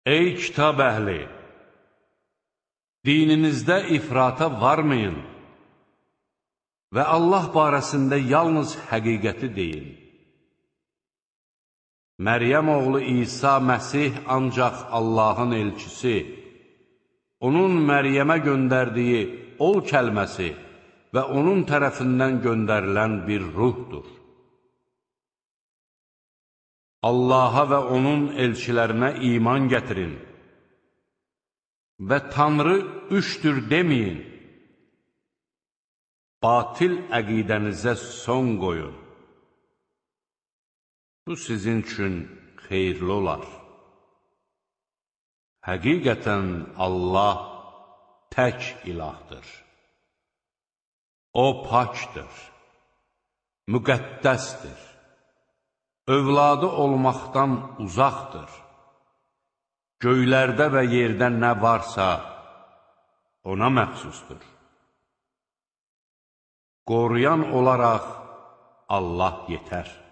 Ey kitab əhli! Dininizdə ifrata varmayın və Allah barəsində yalnız həqiqəti deyin. Məryəm oğlu İsa Məsih ancaq Allahın elçisi, onun Məryəmə göndərdiyi ol kəlməsi və onun tərəfindən göndərilən bir ruhdur. Allaha və onun elçilərinə iman gətirin və Tanrı üçdür deməyin. Batil əqidənizə son qoyun. Bu sizin üçün xeyirli olar. Həqiqətən Allah tək ilahdır. O pakdır, müqəddəsdir, övladı olmaqdan uzaqdır. Göylərdə və yerdə nə varsa ona məxsusdur. Qoruyan olaraq Allah yetər.